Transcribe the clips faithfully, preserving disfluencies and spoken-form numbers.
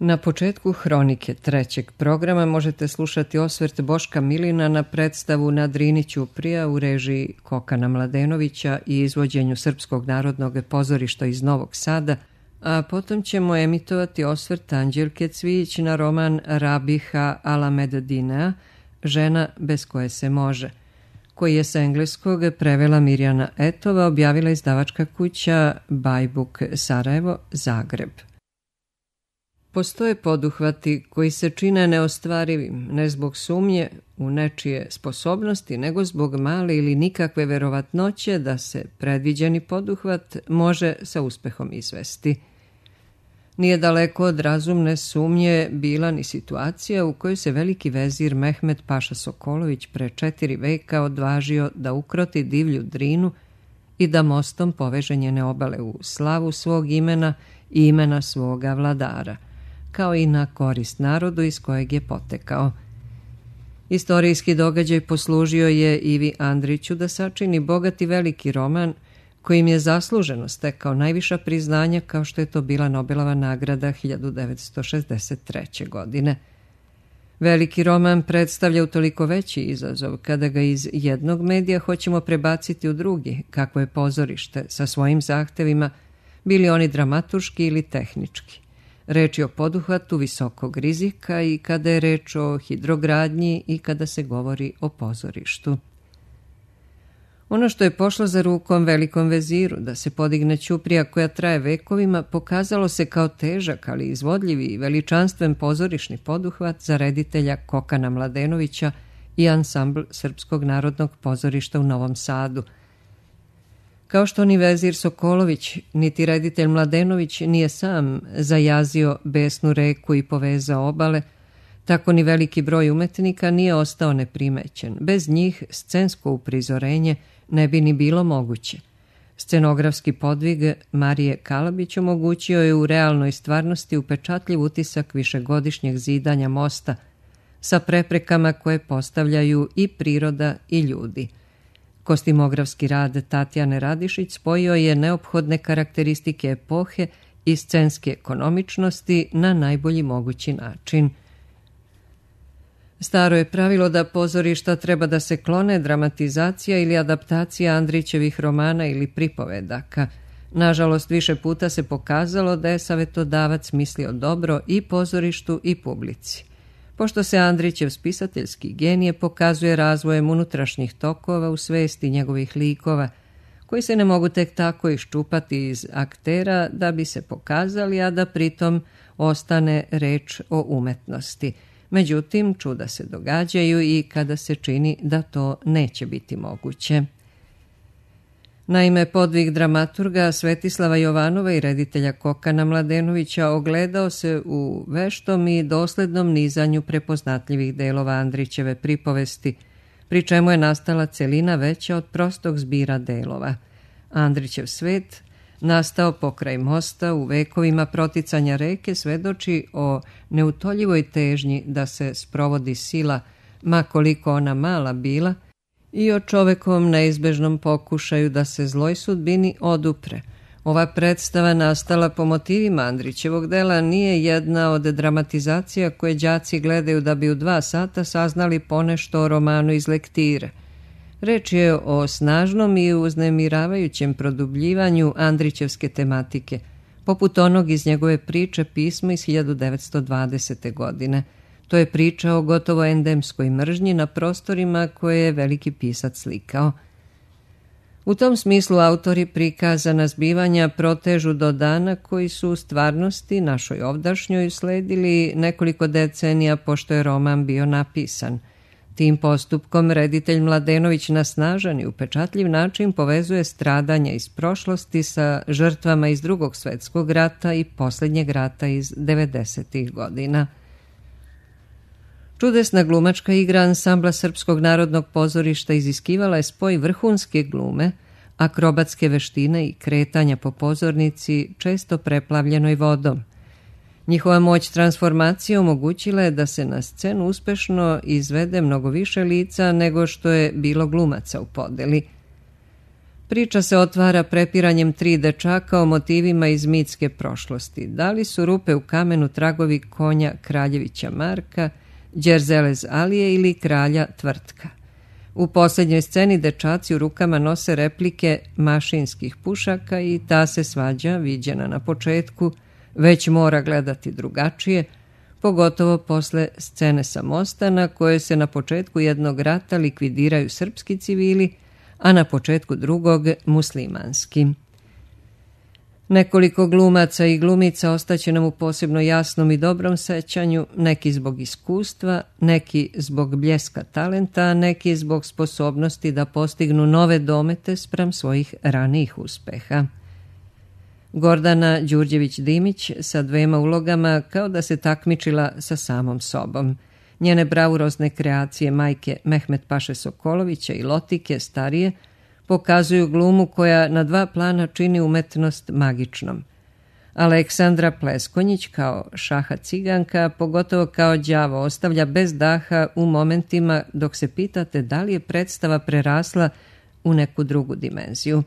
Na početku Hronike trećeg programa možete slušati osvrt Boška Milina na predstavu Na Drini ćuprija u režiji Kokana Mladenovića i izvođenju Srpskog narodnog pozorišta iz Novog Sada, a potom ćemo emitovati osvrt Anđelke Cvijić na roman Rabiha Alameddinea, Žena bez koje se može, koji je sa engleskog prevela Mirjana Etova, objavila izdavačka kuća Bajbuk Sarajevo, Zagreb. Postoje poduhvati koji se čine neostvarivim, ne zbog sumnje u nečije sposobnosti, nego zbog male ili nikakve verovatnoće da se predviđeni poduhvat može sa uspehom izvesti. Nije daleko od razumne sumnje bila ni situacija u kojoj se veliki vezir Mehmed Paša Sokolović pre četiri veka odvažio da ukroti divlju Drinu i da mostom poveže njene obale u slavu svog imena i imena svoga vladara, kao i na korist narodu iz kojeg je potekao. Istorijski događaj poslužio je Ivi Andriću da sačini bogati veliki roman kojim je zasluženo stekao najviša priznanja, kao što je to bila Nobelova nagrada hiljadu devetsto šezdeset treće. godine. Veliki roman predstavlja utoliko veći izazov kada ga iz jednog medija hoćemo prebaciti u drugi, kako je pozorište, sa svojim zahtevima, bili oni dramaturški ili tehnički. Reč je o poduhvatu visokog rizika i kada je reč o hidrogradnji i kada se govori o pozorištu. Ono što je pošlo za rukom velikom veziru da se podigne ćuprija koja traje vekovima, pokazalo se kao težak, ali izvodljivi i veličanstven pozorišni poduhvat za reditelja Kokana Mladenovića i ansambl Srpskog narodnog pozorišta u Novom Sadu. Kao što ni vezir Sokolović, niti reditelj Mladenović nije sam zajazio besnu reku i povezao obale, tako ni veliki broj umetnika nije ostao neprimećen. Bez njih scensko uprizorenje ne bi ni bilo moguće. Scenografski podvig Marije Kalabić omogućio je u realnoj stvarnosti upečatljiv utisak višegodišnjeg zidanja mosta sa preprekama koje postavljaju i priroda i ljudi. Kostimografski rad Tatjane Radišić spojio je neophodne karakteristike epohe i scenske ekonomičnosti na najbolji mogući način. Staro je pravilo da pozorišta treba da se klone dramatizacija ili adaptacija Andrićevih romana ili pripovedaka. Nažalost, više puta se pokazalo da je savetodavac mislio dobro i pozorištu i publici. Pošto se Andrićev spisateljski genije pokazuje razvojem unutrašnjih tokova u svesti njegovih likova, koji se ne mogu tek tako iščupati iz aktera da bi se pokazali, a da pritom ostane reč o umetnosti. Međutim, čuda se događaju i kada se čini da to neće biti moguće. Naime, podvig dramaturga Svetislava Jovanova i reditelja Kokana Mladenovića ogledao se u veštom i doslednom nizanju prepoznatljivih delova Andrićeve pripovesti, pri čemu je nastala celina veća od prostog zbira delova. Andrićev svet, nastao pokraj mosta u vekovima proticanja reke, svedoči o neutoljivoj težnji da se sprovodi sila, ma koliko ona mala bila, i o čovekovom neizbežnom pokušaju da se zloj sudbini odupre. Ova predstava, nastala po motivima Andrićevog dela, nije jedna od dramatizacija koje đaci gledaju da bi u dva sata saznali ponešto o romanu iz lektire. Reč je o snažnom i uznemiravajućem produbljivanju Andrićevske tematike, poput onog iz njegove priče Pismo iz hiljadu devetsto dvadesete. godine. To je priča o gotovo endemskoj mržnji na prostorima koje je veliki pisac slikao. U tom smislu autori prikazana zbivanja protežu do dana koji su u stvarnosti našoj ovdašnjoj usledili nekoliko decenija pošto je roman bio napisan. Tim postupkom reditelj Mladenović na snažan i upečatljiv način povezuje stradanja iz prošlosti sa žrtvama iz Drugog svetskog rata i posljednjeg rata iz devedesetih. godina. Čudesna glumačka igra ansambla Srpskog narodnog pozorišta iziskivala je spoj vrhunske glume, akrobatske veštine i kretanja po pozornici često preplavljenoj vodom. Njihova moć transformacije omogućila je da se na scenu uspešno izvede mnogo više lica nego što je bilo glumaca u podeli. Priča se otvara prepiranjem tri dečaka o motivima iz mitske prošlosti. Da li su rupe u kamenu tragovi konja Kraljevića Marka, Đerzelez Alije ili kralja Tvrtka? U posljednjoj sceni dečaci u rukama nose replike mašinskih pušaka i ta se svađa, viđena na početku, već mora gledati drugačije, pogotovo posle scene sa mosta na koje se na početku jednog rata likvidiraju srpski civili, a na početku drugog muslimanski. Nekoliko glumaca i glumica ostaće nam u posebno jasnom i dobrom sećanju, neki zbog iskustva, neki zbog bljeska talenta, a neki zbog sposobnosti da postignu nove domete spram svojih ranijih uspeha. Gordana Đurđević-Dimić sa dvema ulogama kao da se takmičila sa samom sobom. Njene bravurozne kreacije majke Mehmet Paše Sokolovića i Lotike starije pokazuju glumu koja na dva plana čini umetnost magičnom. Aleksandra Pleskonjić kao Šaha Ciganka, pogotovo kao đavo, ostavlja bez daha u momentima dok se pitate da li je predstava prerasla u neku drugu dimenziju.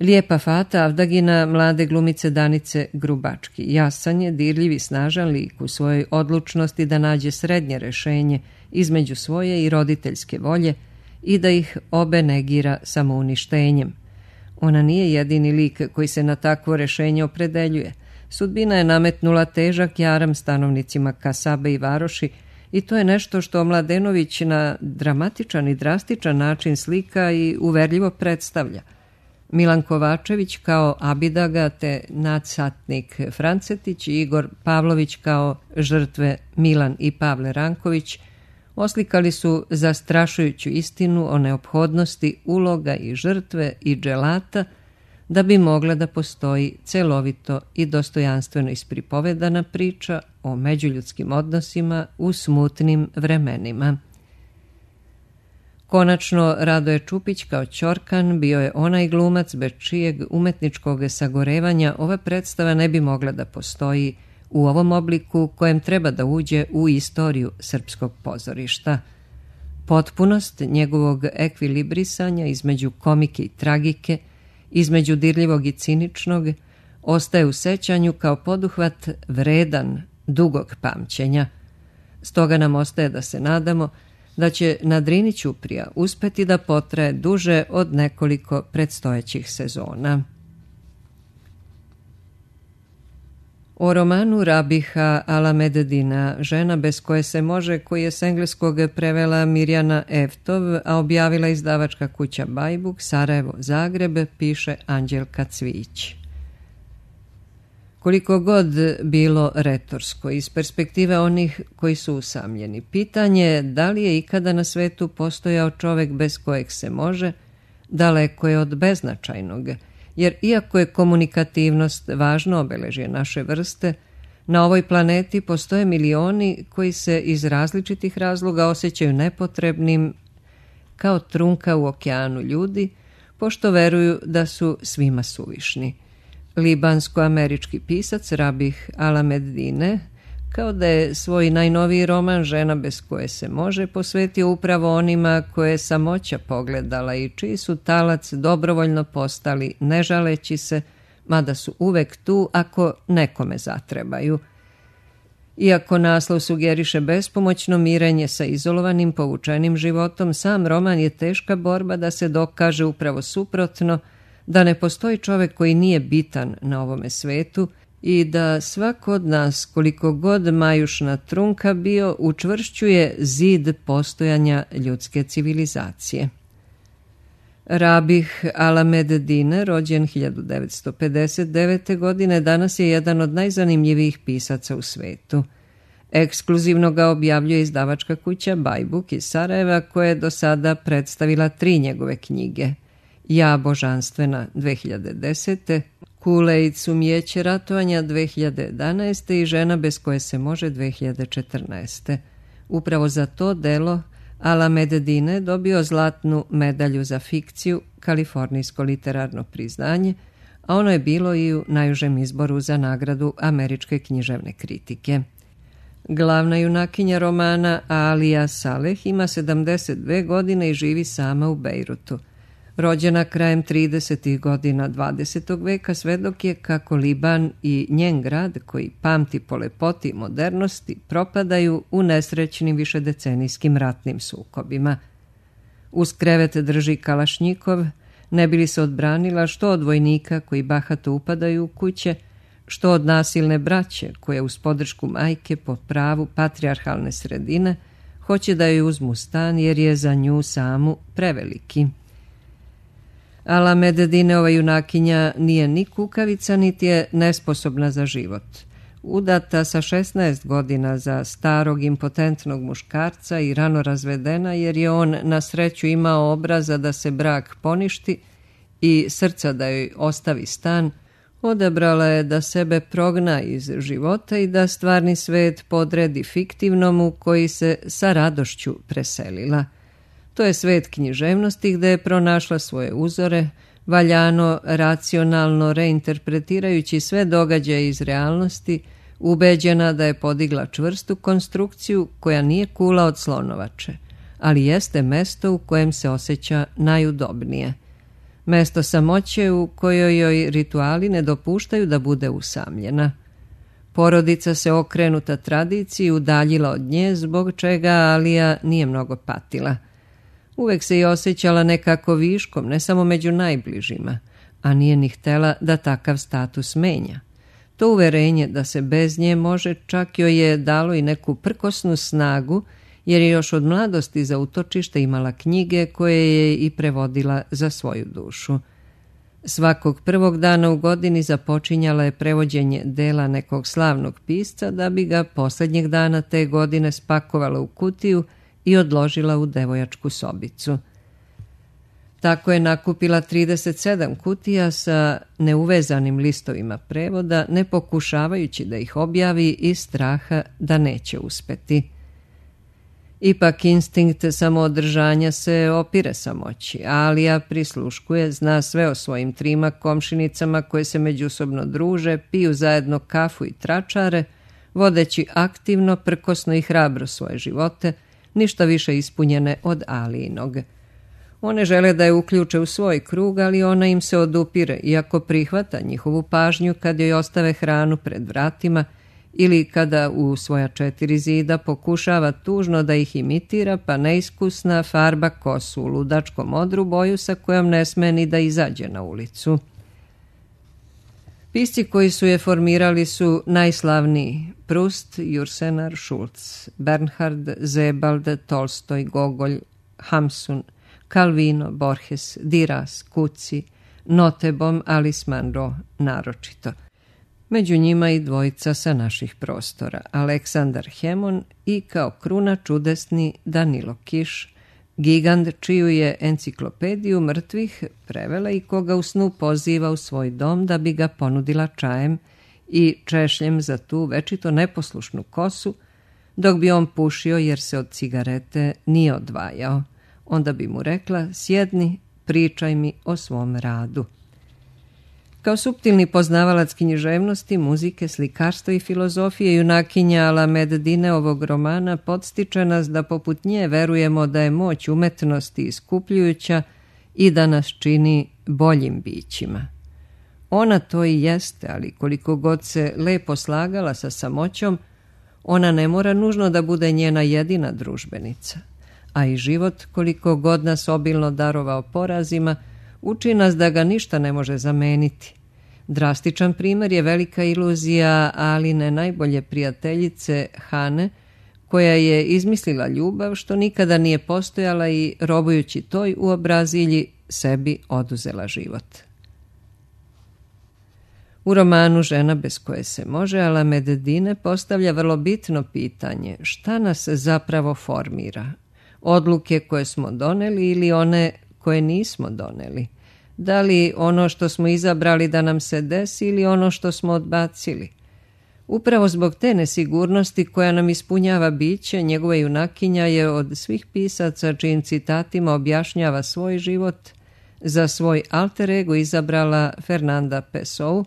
Lijepa Fata Avdagina mlade glumice Danice Grubački. Jasan je, dirljiv i snažan lik u svojoj odlučnosti da nađe srednje rešenje između svoje i roditeljske volje i da ih obe negira samouništenjem. Ona nije jedini lik koji se na takvo rešenje opredeljuje. Sudbina je nametnula težak jaram stanovnicima Kasabe i Varoši i to je nešto što Mladenović na dramatičan i drastičan način slika i uverljivo predstavlja. Milan Kovačević kao Abidaga te nadsatnik Francetić i Igor Pavlović kao žrtve Milan i Pavle Ranković oslikali su zastrašujuću istinu o neophodnosti uloga i žrtve i dželata da bi mogla da postoji celovito i dostojanstveno ispripovedana priča o međuljudskim odnosima u smutnim vremenima. Konačno, Radoje Čupić kao Ćorkan bio je onaj glumac bez čijeg umetničkog sagorevanja ova predstava ne bi mogla da postoji u ovom obliku kojem treba da uđe u istoriju srpskog pozorišta. Potpunost njegovog ekvilibrisanja između komike i tragike, između dirljivog i ciničnog, ostaje u sećanju kao poduhvat vredan, dugog pamćenja. Stoga nam ostaje da se nadamo da će na Drini ćuprija uspeti da potraje duže od nekoliko predstojećih sezona. O romanu Rabiha Alameddina, žena bez koje se može, koji je s engleskog prevela Mirjana Eftov, a objavila izdavačka kuća Bajbuk, Sarajevo, Zagreb, piše Anđelka Cvijić. Koliko god bilo retorsko iz perspektive onih koji su usamljeni, pitanje je da li je ikada na svetu postojao čovek bez kojeg se može, daleko je od beznačajnog, jer iako je komunikativnost važno obeležje naše vrste, na ovoj planeti postoje milioni koji se iz različitih razloga osjećaju nepotrebnim kao trunka u okeanu ljudi, pošto veruju da su svima suvišni. Libansko-američki pisac Rabih Alameddine, kao da je svoj najnoviji roman Žena bez koje se može posvetio upravo onima koje je samoća pogledala i čiji su talac dobrovoljno postali ne žaleći se, mada su uvek tu ako nekome zatrebaju. Iako naslov sugeriše bespomoćno mirenje sa izolovanim povučenim životom, sam roman je teška borba da se dokaže upravo suprotno, da ne postoji čovek koji nije bitan na ovome svetu i da svako od nas, koliko god majušna trunka bio, učvršćuje zid postojanja ljudske civilizacije. Rabih Alameddin, rođen hiljadu devetsto pedeset devete. godine, danas je jedan od najzanimljivijih pisaca u svetu. Ekskluzivno ga objavljuje izdavačka kuća Bajbuk iz Sarajeva, koja je do sada predstavila tri njegove knjige. Ja božanstvena dve hiljade desete. Kule i cumijeće ratovanja dve hiljade jedanaeste. i Žena bez koje se može dve hiljade četrnaeste. Upravo za to delo Alameddin dobio zlatnu medalju za fikciju, kalifornijsko literarno priznanje, a ono je bilo i u najužem izboru za nagradu američke književne kritike. Glavna junakinja romana Alija Saleh ima sedamdeset dve godine i živi sama u Bejrutu. Rođena krajem tridesetih godina dvadesetog veka, svedok je kako Liban i njen grad, koji pamti po lepoti i modernosti, propadaju u nesrećnim višedecenijskim ratnim sukobima. Uz krevet drži kalašnjikov, ne bi li se odbranila što od vojnika koji bahato upadaju u kuće, što od nasilne braće koje uz podršku majke po pravu patrijarhalne sredine hoće da joj uzmu stan jer je za nju samu preveliki. Ala Meddinova junakinja nije ni kukavica, niti je nesposobna za život. Udata sa šesnaest godina za starog impotentnog muškarca i rano razvedena jer je on na sreću imao obraza da se brak poništi i srca da joj ostavi stan, odabrala je da sebe progna iz života i da stvarni svet podredi fiktivnom u koji se sa radošću preselila. To je svet književnosti gde je pronašla svoje uzore, valjano, racionalno reinterpretirajući sve događaje iz realnosti, ubeđena da je podigla čvrstu konstrukciju koja nije kula od slonovače, ali jeste mesto u kojem se osjeća najudobnije. Mesto samoće u kojoj joj rituali ne dopuštaju da bude usamljena. Porodica se okrenuta tradiciji udaljila od nje, zbog čega Alija nije mnogo patila. Uvek se i osjećala nekako viškom, ne samo među najbližima, a nije ni htela da takav status menja. To uverenje da se bez nje može čak joj je dalo i neku prkosnu snagu, jer je još od mladosti za utočište imala knjige koje je i prevodila za svoju dušu. Svakog prvog dana u godini započinjala je prevođenje dela nekog slavnog pisca da bi ga posljednjeg dana te godine spakovala u kutiju i odložila u devojačku sobicu. Tako je nakupila trideset sedam kutija sa neuvezanim listovima prevoda, ne pokušavajući da ih objavi iz straha da neće uspeti. Ipak instinkt samoodržanja se opire samoći. Alija prisluškuje, zna sve o svojim trima komšinicama koje se međusobno druže, piju zajedno kafu i tračare, vodeći aktivno, prkosno i hrabro svoje živote, ništa više ispunjene od Alijinog. One žele da je uključe u svoj krug, ali ona im se odupire, iako prihvata njihovu pažnju kad joj ostave hranu pred vratima ili kada u svoja četiri zida pokušava tužno da ih imitira, pa neiskusna farba kosu u ludačkom odru, boju sa kojom ne sme ni da izađe na ulicu. Pisci koji su je formirali su najslavniji: Proust, Jursenar, Schulz, Bernhard, Sebald, Tolstoj, Gogolj, Hamsun, Calvino, Borges, Diras, Cuci, Notebom, Alice Munro naročito. Među njima i dvojica sa naših prostora, Aleksandar Hemon i kao kruna čudesni Danilo Kiš, gigant čiju je enciklopediju mrtvih prevela i koga u snu poziva u svoj dom da bi ga ponudila čajem i češljem za tu večito neposlušnu kosu, dok bi on pušio jer se od cigarete nije odvajao. Onda bi mu rekla: sjedni, pričaj mi o svom radu. Kao suptilni poznavalac književnosti, muzike, slikarstva i filozofije, junakinja Ala Meddine ovog romana podstiče nas da poput nje verujemo da je moć umetnosti iskupljujuća i da nas čini boljim bićima. Ona to i jeste, ali koliko god se lepo slagala sa samoćom, ona ne mora nužno da bude njena jedina družbenica. A i život, koliko god nas obilno darovao porazima, uči nas da ga ništa ne može zameniti. Drastičan primjer je velika iluzija Aline najbolje prijateljice Hane, koja je izmislila ljubav što nikada nije postojala i, robujući toj uobrazilji, sebi oduzela život. U romanu Žena bez koje se može, Ala Meddine postavlja vrlo bitno pitanje: šta nas zapravo formira? Odluke koje smo doneli ili one koje nismo doneli? Da li ono što smo izabrali da nam se desi ili ono što smo odbacili? Upravo zbog te nesigurnosti koja nam ispunjava biće, njegova junakinja je od svih pisaca čijim citatima objašnjava svoj život za svoj alter ego izabrala Fernanda Pessoa,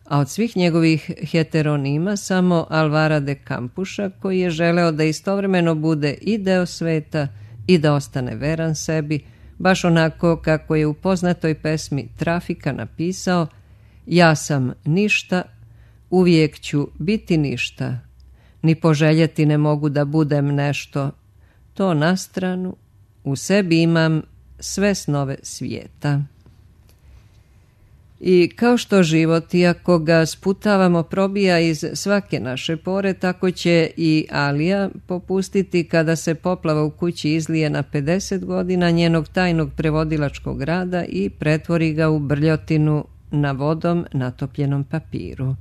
a od svih njegovih heteronima samo Alvara de Campuša, koji je želeo da istovremeno bude i deo sveta i da ostane veran sebi, baš onako kako je u poznatoj pesmi Trafika napisao: ja sam ništa, uvijek ću biti ništa, ni poželjeti ne mogu da budem nešto, to na stranu, u sebi imam sve snove svijeta. I kao što život, iako ga sputavamo, probija iz svake naše pore, tako će i Alija popustiti kada se poplava u kući izlije na pedeset godina njenog tajnog prevodilačkog rada i pretvori ga u brljotinu na vodom natopljenom papiru.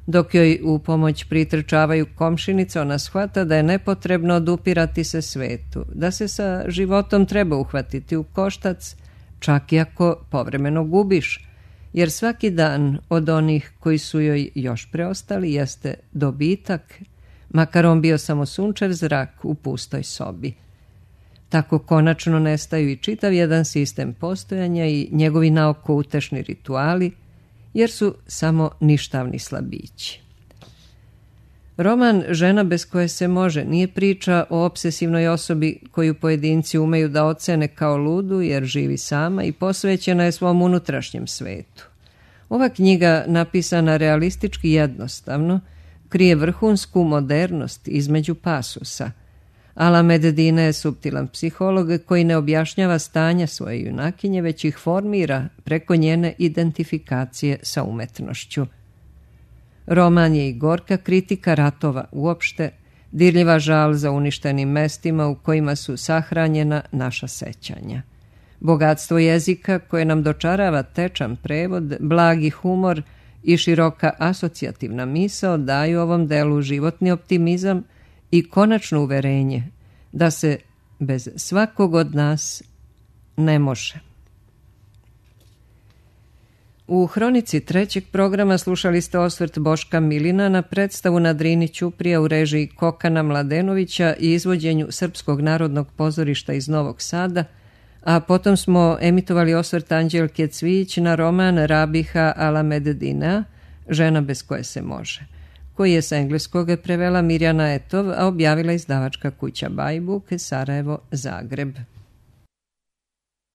Dok joj u pomoć pritrčavaju komšinice, ona shvata da je nepotrebno odupirati se svetu, da se sa životom treba uhvatiti u koštac, čak i ako povremeno gubiš, jer svaki dan od onih koji su joj još preostali jeste dobitak, makar on bio samo sunčev zrak u pustoj sobi. Tako konačno nestaju i čitav jedan sistem postojanja i njegovi naoko utešni rituali, jer su samo ništavni slabići. Roman Žena bez koje se može nije priča o obsesivnoj osobi koju pojedinci umeju da ocene kao ludu jer živi sama i posvećena je svom unutrašnjem svetu. Ova knjiga, napisana realistički jednostavno, krije vrhunsku modernost između pasusa. Alamed Dine je suptilan psiholog koji ne objašnjava stanja svoje junakinje, već ih formira preko njene identifikacije sa umetnošću. Roman je i gorka kritika ratova uopšte, dirljiva žal za uništenim mestima u kojima su sahranjena naša sećanja. Bogatstvo jezika koje nam dočarava tečan prevod, blagi humor i široka asocijativna misao daju ovom delu životni optimizam i konačno uverenje da se bez svakog od nas ne može. U hronici trećeg programa slušali ste osvrt Boška Milina na predstavu na Drini Ćuprija u režiji Kokana Mladenovića i izvođenju Srpskog narodnog pozorišta iz Novog Sada, a potom smo emitovali osvrt Anđelke Cvijić na roman Rabiha Alamed Dinea, Žena bez koje se može, koji je sa engleskog prevela Mirjana Etov, a objavila izdavačka kuća Bajbuk, Sarajevo, Zagreb.